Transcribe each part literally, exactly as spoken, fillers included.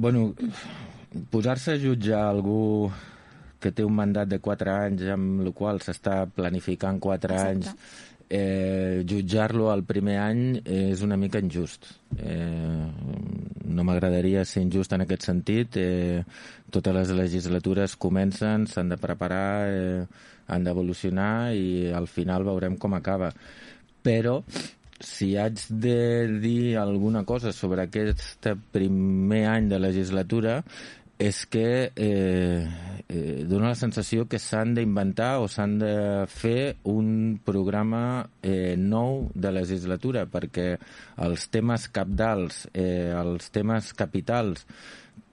Bueno, posar-se a jutjar algú que té un mandat de quatre anys, amb el qual s'està planificant quatre Exacte. anys, eh, jutjar-lo al primer any és una mica injust. Eh, no m'agradaria ser injust en aquest sentit. Eh, totes les legislatures comencen, s'han de preparar, eh, han d'evolucionar i al final veurem com acaba. Però si haig de dir alguna cosa sobre aquest primer any de legislatura és que eh, eh, dona la sensació que s'han d'inventar o s'han de fer un programa eh, nou de legislatura, perquè els temes cabdals, eh, els temes capitals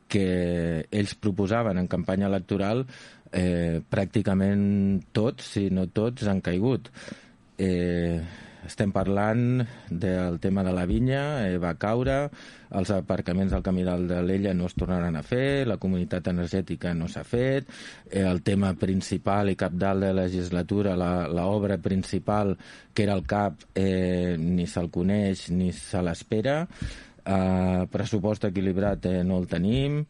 que ells proposaven en campanya electoral, eh, pràcticament tots, si no tots, han caigut. Eh, estem parlant del tema de la vinya, eh, va caure, els aparcaments del camí dalt de l'Ella no es tornaran a fer, la comunitat energètica no s'ha fet, eh, el tema principal i capdalt de la legislatura, l'obra principal, que era el C A P, eh, ni se'l coneix ni se l'espera, eh, pressupost equilibrat eh, no el tenim,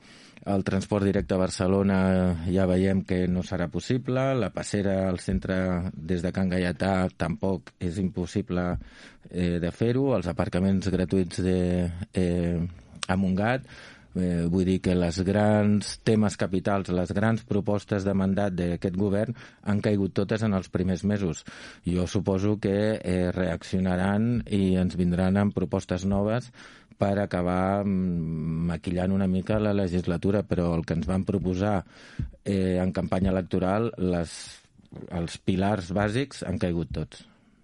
el transport directe a Barcelona ja veiem que no serà possible, la passera al centre des de Can Gaietà tampoc és impossible eh, de fer-ho, els aparcaments gratuïts de, eh, a Montgat, eh, vull dir que les grans temes capitals, les grans propostes de mandat d'aquest govern han caigut totes en els primers mesos. Jo suposo que eh, reaccionaran i ens vindran amb propostes noves per acabar maquillant una mica la legislatura, però el que ens van proposar eh, en campanya electoral, les, els pilars bàsics han caigut tots.